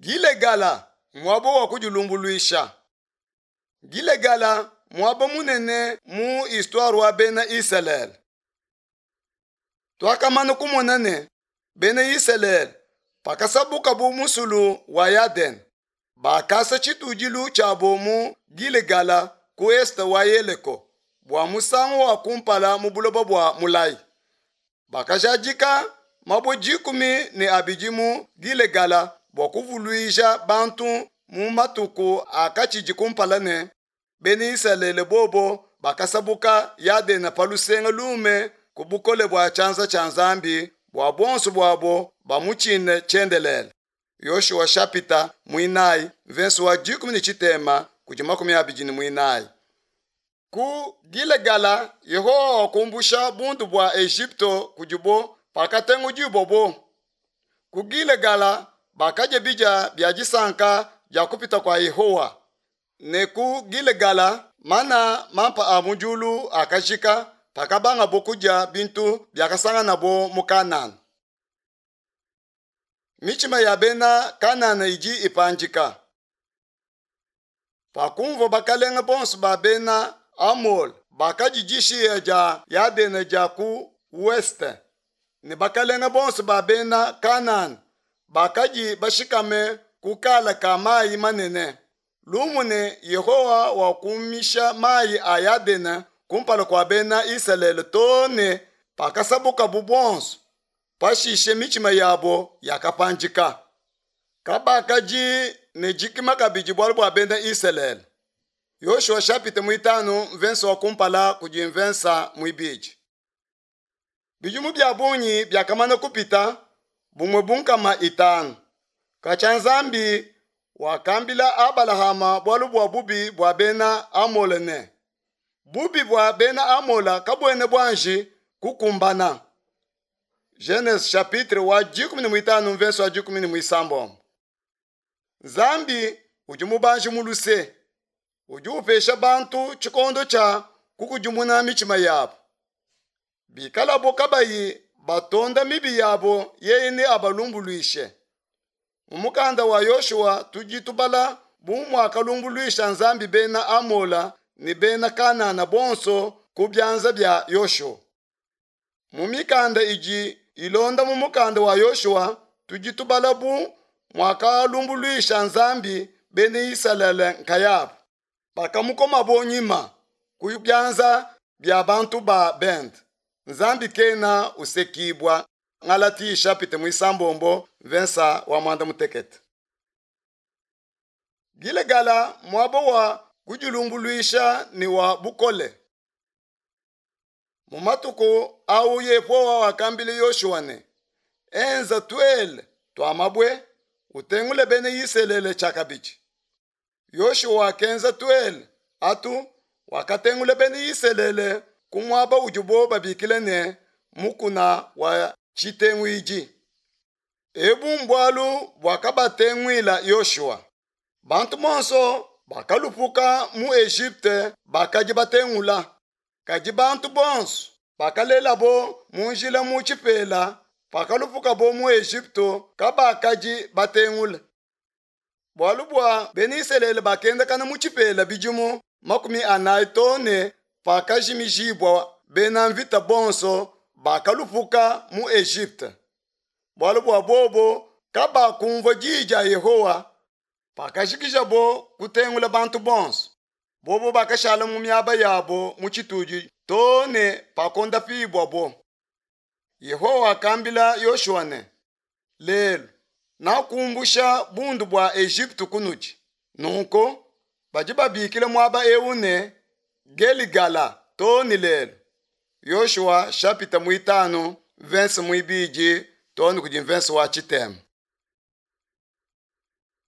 Gilegala, muaba wa kudilumbuluisha. Gilegala, muaba munene mu histoire wa bena Isalele. Tuakamana kumona ne, bena Isalele pakasabukabu musulu wa Yadene, bakasa tshitudilu tshiabo mu Gilegala ku est wa Yeleko bua musangu wa kumpala mu buloba bua mulayi. Bakajadika mabue 12 mu Gilegala bua kuvuluija bantu mu matuku akatshidi kumpala ne bena Isalele bobo bakasabuka Yadene pa lusenga lume ku bukole bua tshianza tshia Nzambi bua bonso buabo bamutshine tshiendelele. Yoshua shapita 4 verse wa 13 kudi 24. Ku Gilegala Yehowa wakumbusha bundu bua Egypto kudibo pakatengudibwabo. Ku Gilegala bakadya bidia bia disanka dia kupita kua Yehowa. Ne ku Gilegala mana mampa a mu diulu akajika pakabangabo kudia bintu biakasanganabo mu Kanana. Mitshima ya bena Kanana idi ipandika. Pakumvua bakalenge bonso ba bena Amole bakadi dishiya dia Yadene dia ku ouest ne bakalenge bonso ba bena Kanana bakadi bashikame ku kala ka mayi manene, lumu ne Yehowa wakumisha mayi a Yadene kumpala kua bena Isalele too ne pakasabukabu bonso, pashishe mitshima yabo yakapandika. Kabakadi ne dikima kabidi bualu bua bena Isalele. Yoshua chapitre 5 verse wa kumpala kudi mvensa mwibidi. Bidimu bia bungi biakamana kupita bumue bunkama 5. Katshia Nzambi wakambila Abalahama bualu bua bubi bua bena Amole ne, bubi bua bena Amola kabuena buanji kukumbana. Genese chapitre wa 15 verse wa 16. Nzambi udi mubanji mu luse, udi upesha bantu tshikondo tshia kukudimuna mitshima yabo. Bikalabo kabayi batonda mibi yabo, yeye ne abalumbuluishe. Mu mukanda wa Yoshua tudi tubala bu muakalumbuluisha Nzambi bena Amola ne bena Kanana bonso ku bianza bia Yoshua. Mu mikanda idi ilonda mu mukanda wa Yoshua tudi tubala bu muakalumbuluisha Nzambi bena Isalele nkayabo pakamukomabo nyima ku bianza bia bantu ba bende. Nzambi kena usekibwa. Ngalati chapitre 6 verse wa 16. Gilegala muaba wa kudilumbuluisha ni wa bukole. Mu matuku au Yehowa wakambila Yoshua ne, enza tuele tua mabue utengule bena Isalele tshiakabidi. Yoshua wakenza tuele atu wakatengula bena Isalele ku muaba udibo babikila ne mukuna wa tshitenguidi. Ebu mbualu buakabatenguila Yoshua. Bantu bonso bakalupuka mu Egypte bakadi batengula. Kadi bantu bonso bakalelabo mu njila mu tshipela pakalupukabo mu Egypte kabakadi batengula. Bualu bua bena Isalele bakendakana mu tshipela bidimu 40 too ne pakajimijibua bena mvita bonso bakalupuka mu Egypte. Bualu bua bobo kabakumvua diyi dia Yehowa pakajikijabo kutengula bantu bonso. Bobo bakashala mu miaba yabo mu tshitudi too ne pakondapibwabo. Yehowa wakambila Yoshua ne, lelu nakumbusha bundu bua Egypte kunudi. Nunku badi babikila muaba eu ne Geligala too ne lelu. Yoshua chapitre 5 verse 2 too ne kudi verse wa 9.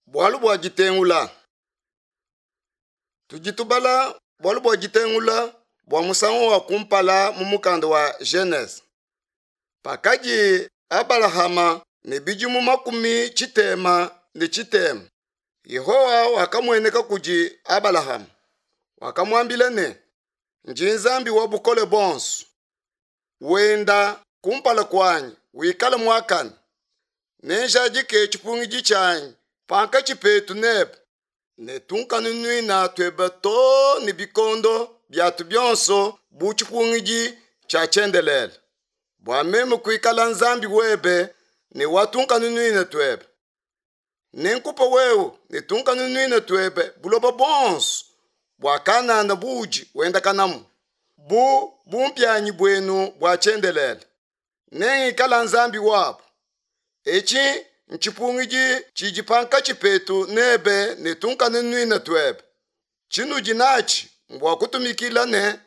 Bualu bua ditengula. Tudi tubala bualu bua ditengula bua musangu wa kumpala mu mukanda wa Genese. Pakadi Abalahama ne bidimu 63, Yehowa wakamueneka kudi Abalahama. Wakamuambila ne, ndi Nzambi wa bukole bonso. Wenda kumpala kuanyi wikale muakane. Nenjadike tshipungidi tshianyi pankatshi petu nebe ne tunkanunuina tuebe too ne bikondo biatu bionso bu tshipungidi tshia tshiendelele, bua meme kuikala Nzambi webe ne wa tunkanunuina tuebe. Nenkupe wewe ne tunkanunuina tuebe buloba buonso bua Kanana buudi wendakanamu, bu bumpianyi buenu bua tshiendelele. Nengikala Nzambi wabu. Etshi ntshipungidi tshidi pankatshi petu nebe ne tunkanunuina tuebe. Tshinudi natshi mbua kutumikila ne,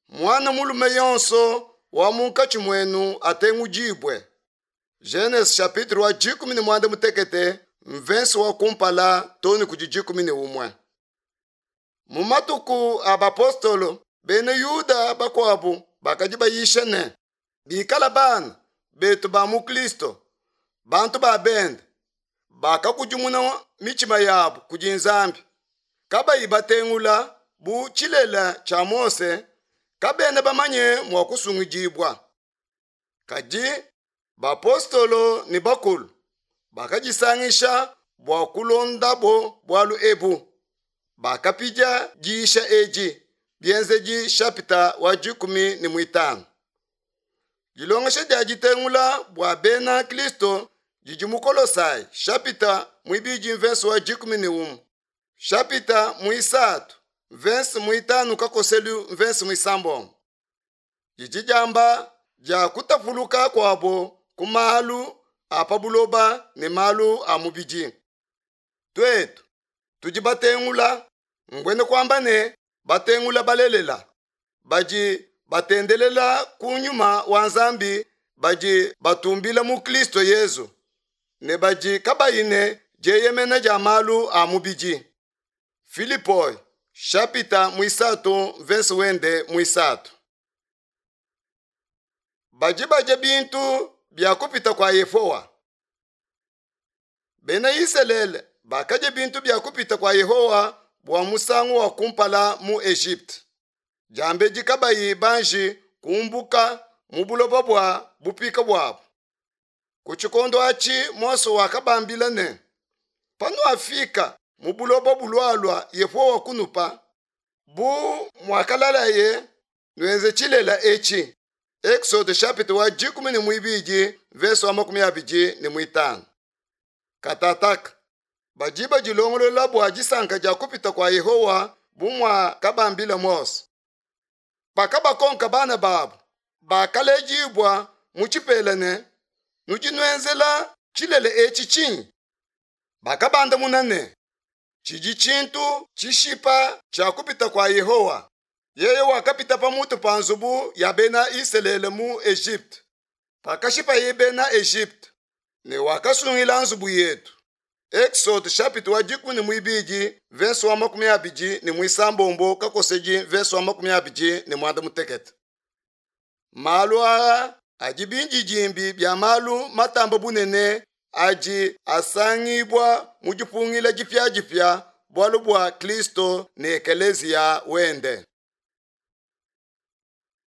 muana mulume yonso wa munkatshi muenu atengudibue. Genese chapitre wa 18 mvensi wa kumpala too ne kudi 11. Mu matuku a bapostolo, bena Yuda bakuabu bakadi bayisha ne, bikala bana betu ba mu Kristo, bantu ba bende, bakakudimuna mitshima yabu kudi Nzambi, kabayi batengula bu tshilele tshia Mose, kabena bamanye mua kusungidibua. Kadi bapostolo ne bakulu bakadisangisha bua kulondabo bualu ebu. Bakapidia diyisha edi, Bienzedi shapita wa 15. Dilongesha dia ditengula bua bena Kristo didi mu Kolosai shapita 2 mverse wa 11, shapita 3 mverse 5 kakoselu mverse 6. Didi diamba dia kutapuluka kuabo ku malu a pa buloba ne malu a mubidi. Tuetu tudi batengula, mbuena kuamba ne batengula balelela, badi batendelela ku nyuma wa Nzambi, badi batumbila mu Kristo Yezu, ne badi kabayi ne dieyemena dia malu a mubidi. Filipoi shapita 3 mverse wende 3. Badi badia bintu bia kupita kua Yehowa. Bena Isalele bakadia bintu bia kupita kua Yehowa bua musangu wa kumpala mu Egypte, diambedi kabayi banji kumbuka mu buloba bua bupika buabu. Ku tshikondo atshi Mose wakabambila ne, panuafika mu buloba bulualua Yehowa kunupa, bu muakalalaye, nuenze tshilela etshi. Exode chapitre wa 12 verse wa 25. Katataka badi badilongolola bua disanka dia kupita kua Yehowa bu muakabambila Mose. Pakabakonka bana babu bakalejibua mu tshipela ne, nudi nuenzela tshilele etshi tshinyi? Bakabandamuna ne, tshidi tshintu tshishipa tshia kupita kua Yehowa. Yeye wakapita pamutu pa nzubu ya bena Isalele mu Egypte, pakashipaye bena Egypte, ne wakasungila nzubu yetu. Exode chapitre wa 12 verse wa 26 kakosedi verse wa 28. Malu aa adi bindidimbi bia malu matamba bunene adi asangibua mu dipungila dipiadipia bualu bua Kristo ne Ekeleziya wende.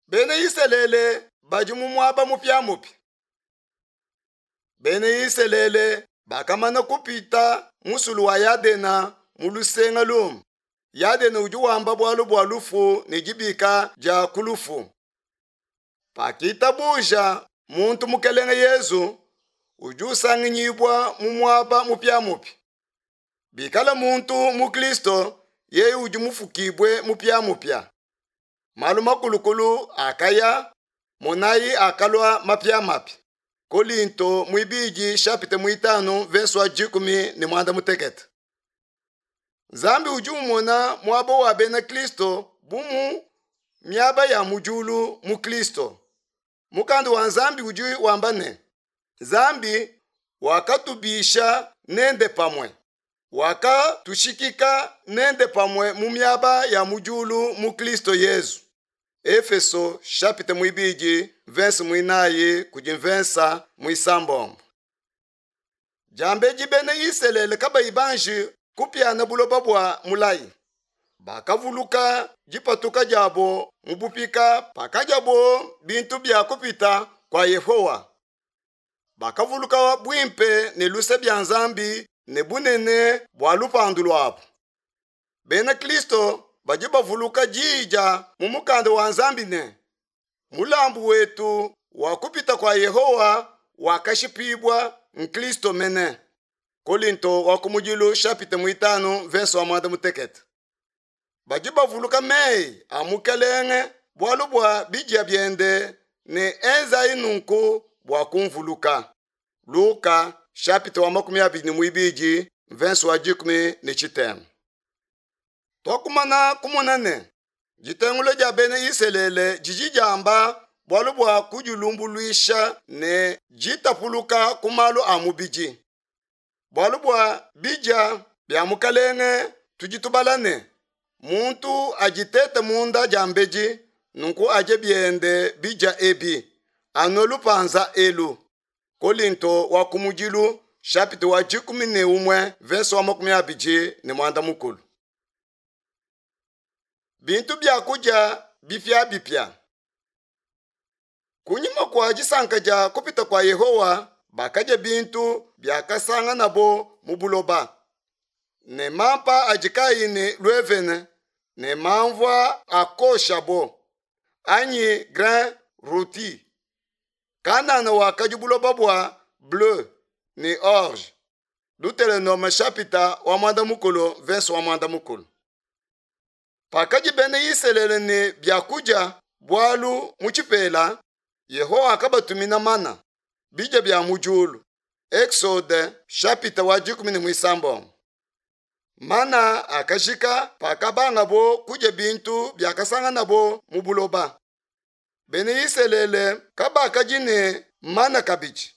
Bena Isalele badi mu muaba mupiamupia. Bena Isalele bakamana kupita musulu wa Yadena mu lusenga lumu. Yadena udi wamba bualu bua lufu ne dibika dia ku lufu. Pakitabuja muntu Mukelenge Yezu, udi usanginyibua mu muaba mupiamupia. Bikala muntu mu Kristo, yeye udi mufukibue mupiamupia. Malu makulukulu akaya, monayi akalua mapiamapia. Kolinto 2 chapitre 5 verse wa 18. Nzambi udi umona muaba wa bena Kristo bu mu miaba ya mu diulu mu Kristo. Mukanda wa Nzambi udi wamba ne, Nzambi wakatubisha nende pamue, wakatushikika nende pamue mu miaba ya mu diulu mu Kristo Yezu. Efeso chapitre 2 verse 9 kudi verse 6. Diambedi bena Isalele kabayi banji kupiana buloba bua mulayi, bakavuluka dipatuka diabo mu bupika pakadiabo bintu bia kupita kua Yehowa. Bakavuluka buimpe ne luse bia Nzambi ne bunene bua lupandu luabu. Bena Kristo badi bavuluka diyi dia mu mukanda wa Nzambi ne, mulambu wetu wa kupita kua Yehowa wakashipibua n'Kristo mene. Kolinto wa kumudilu chapitre muitanu verse wa muanda mutekete. Badi bavuluka meyi a Mukelenge bualu bua bidia biende ne enzayi nunku bua kumvuluka. Luka chapitre wa 22 verse wa 13. Tuakumana kumona ne ditengula dia bena Isalele didi diamba bualu bua kudilumbuluisha ne ditapuluka ku malu a mubidi. Bualu bua bidia bia Mukalenge tudi tubala ne muntu aditete munda diambedi nunku adie biende bidia ebi anue lupanza elu. Kolinto wa kumudilu chapitre wa 11 verse wa 24. Bintu bia kudia bipiabipia. Kunyima kua disanka dia kupita kua Yehowa bakadia bintu biakasanganabo mu buloba ne mampa adi kayi ne luevene ne mamvua akoshabo anyi grain rôti. Kanana wakadi buloba bua bleu ne orge. Deuteronome chapitre wa muanda mukulu verse wa muanda mukulu. Pakadi bena Isalele ne biakudia bualu mu tshipela, Yehowa akabatumina mana, bidia bia mu diulu. Exode chapitre wa 16. Mana akajika pakabangabo kudia bintu biakasanganabo mu buloba. Bena Isalele kabakadi ne mana kabidi.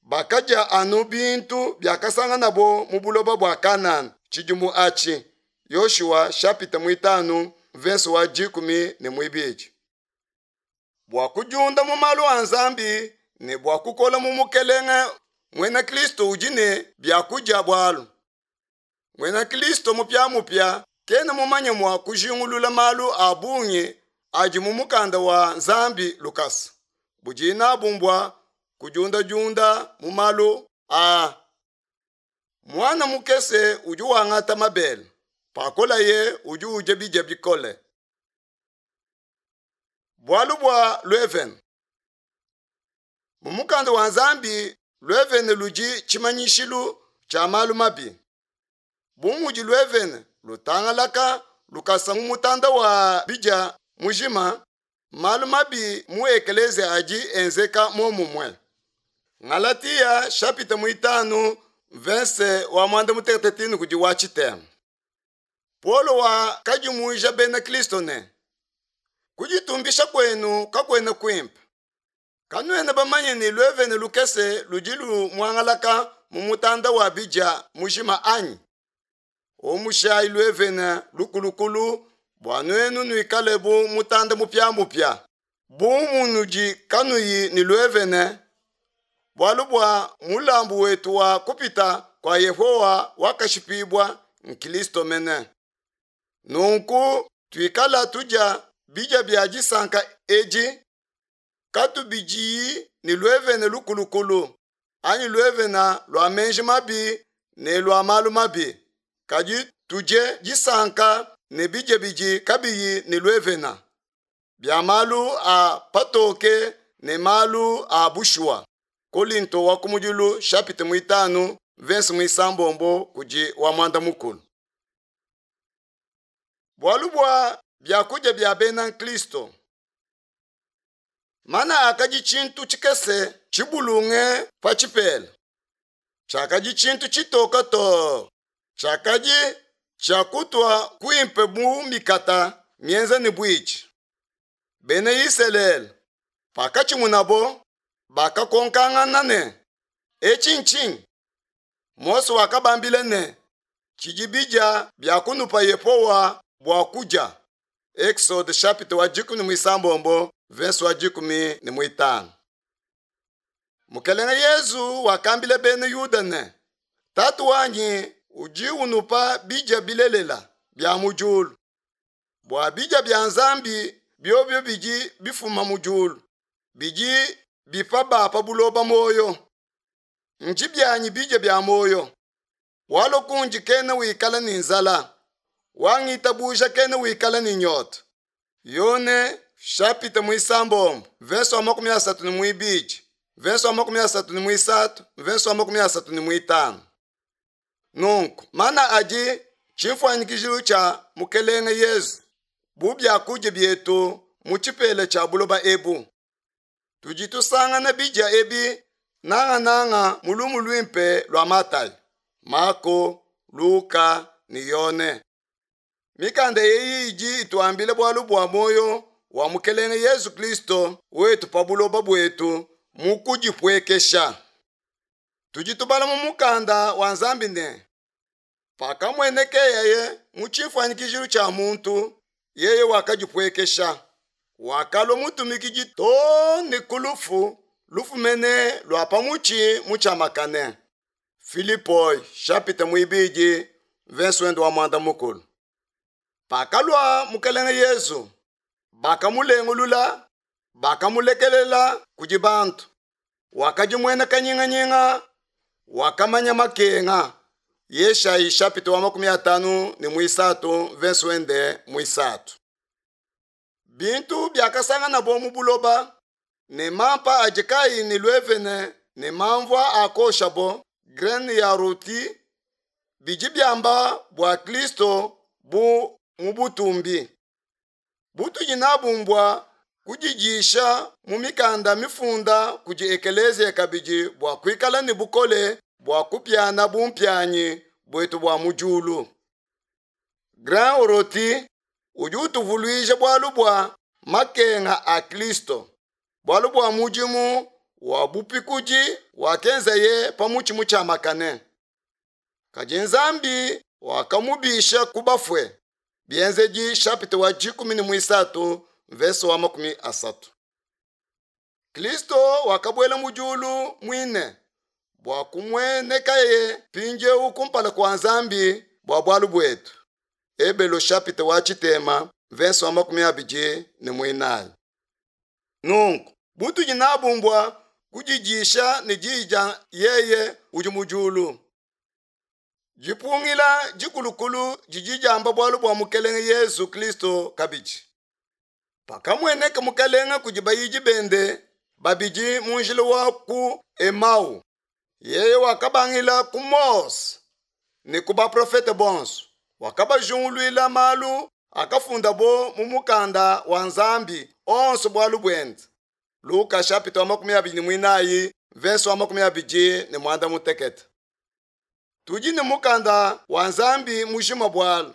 Bakadia anu bintu biakasanganabo mu buloba bua Kanana tshidimu atshi. Yoshua chapitre 5 verse wa 12. Bua kudiunda mu malu a Nzambi ne bua kukola mu Mukelenge, muena Kristo udi ne biakudia bualu. Muena Kristo mupiamupia kena mumanye mua kujingulula malu a bungi adi mu mukanda wa Nzambi lukasa. Budi nabu mbua kudiundadiunda mu malu a. Mwana mukese udi wangata mabele, pakolaye udi udia bidia bikole. Bualu bua luevene. Mu mukanda wa Nzambi luevene ludi tshimanyishilu tshia malu mabi. Bu mudi luevene lutangalaka lukasa mu mutanda wa bidia mujima, malu mabi mu ekelezia adi enzeka momumue. Galatia chapitre 5 verse wa 13 kudi wa tshitema. Paulo wakadimuija bena Kristo ne kuditumbisha kwenu kakuena kuimpe. Kanuena bamanye ne luevene lukese ludi lumuangalaka mu mutanda wa bidia mujima anyi? Omushayi luevene lukulukulu bua nuenu nuikale bu mutanda mupiamupia, bu munudi kanuyi ne luevene, bualu bua mulambu wetu wa kupita kua Yehowa wakashipibua n'Kristo mene. Nunku tuikala tudia bidia bia disanka edi katubidiyi ne luevene lukulukulu anyi luevene lua menji mabi ne lua malu mabi, kadi tudie disanka ne bidia bidi kabiyi ne luevene bia malu a patoke ne malu a bushuwa. Kolinto wa kumudilu chapitre 5 verse 6 kudi wa muanda mukulu. Bualu bua biakudia bia bena Kristo. Mana akadi tshintu tshikese tshibulunge pa tshipela. Tshiakadi tshintu tshitoka to. Tshiakadi tshiakutua kuimpe bu mikata mienza ne buitshi. Bena Isalele pakatshimunabo bakakonkangana ne etshi ntshinyi? Mose wakabambila ne tshidi bidia bia kunupa Yehowa bua kudia. Exode chapitre wa 16 verse wa 15. Mukelenge Yezu wakambila bena Yuda ne Tatu wanyi udi unupa bidia bilelela bia mu diulu. Bua bidia bia Nzambi biobio bidi bifuma mu diulu, bidi bipa ba pa buloba moyo. Nji byanyi bidia bia moyo. Walua kundi kena wikala ne nzala, wangitabuja kena wikala ne nyota. Yone chapitre muisambombo verse wa 32, verse wa 33, verse wa 35. Nunku mana adi tshimfuanyikijilu tshia Mukelenge Yezu bu biakudia bietu mu tshipela tshia buloba ebu. Tudi tusangana bidia ebi nangananga mu lumu luimpe lua Matayo, Mako, Luka ne Yone. Mikanda eyi idi ituambila bualu bua muoyo wa Mukelenge Yezu Kristo wetu pa buloba buetu mu kudipuekesha. Tudi tubala mu mukanda wa Nzambi ne, pakamuenekeye mu tshifuanyikijilu tshia muntu, yeye wakadipuekesha, wakalua mutumikidi too ne ku lufu, lufu mene lua pa mutshi mutshiamakane. Filipoi chapitre muibidi verse wende wa muanda mukulu. Pakalua Mukelenge Yezu, bakamulengulula, bakamulekelela kudi bantu. Wakadimuena kanyinganyinga, wakamanya makenga. Yeshayi chapitre wa 53 verse wende muisatu. Bintu biakasanganabo mu buloba ne mampa adi kayi ne luevene ne mamvua akoshabo graine ya roti bidi biamba bua Kristo bu mu butumbi. Butudi nabu mbua kudidisha mu mikanda mifunda kudi ekeleziya kabidi bua kuikala ne bukole bua kupiana bumpianyi buetu bua mu diulu. Grain roti udi utuvuluija bualu bua makenga a Kristo, bualu bua mudimu wa bupikudi wakenzaye pa mutshi mutshiamakane. Kadi Nzambi wakamubisha ku bafue. Bienzedi chapitre wa 13 verse wa 30. Kristo wakabuela mu diulu muine bua kumuenekaye mpindieu kumpala kua Nzambi bua bualu buetu. Ebelo chapitre wa tshitema verse wa 24. Nunku butudi nabu mbua kudidisha ne diyi dia yeye udi mu diulu. Dipungila dikulukulu didi diamba bualu bua Mukelenge Yezu Kristo kabidi. Pakamueneka Mukelenge kudi bayidi bende babidi mu njila wa ku Emau, yeye wakabangila ku Mose ne ku baprofete bonso, wakabajunguluila malu akafundabo mu mukanda wa Nzambi onso bualu buende. Luka chapitre wa 24 verse wa 28. Tudi ne mukanda wa Nzambi mujima bualu.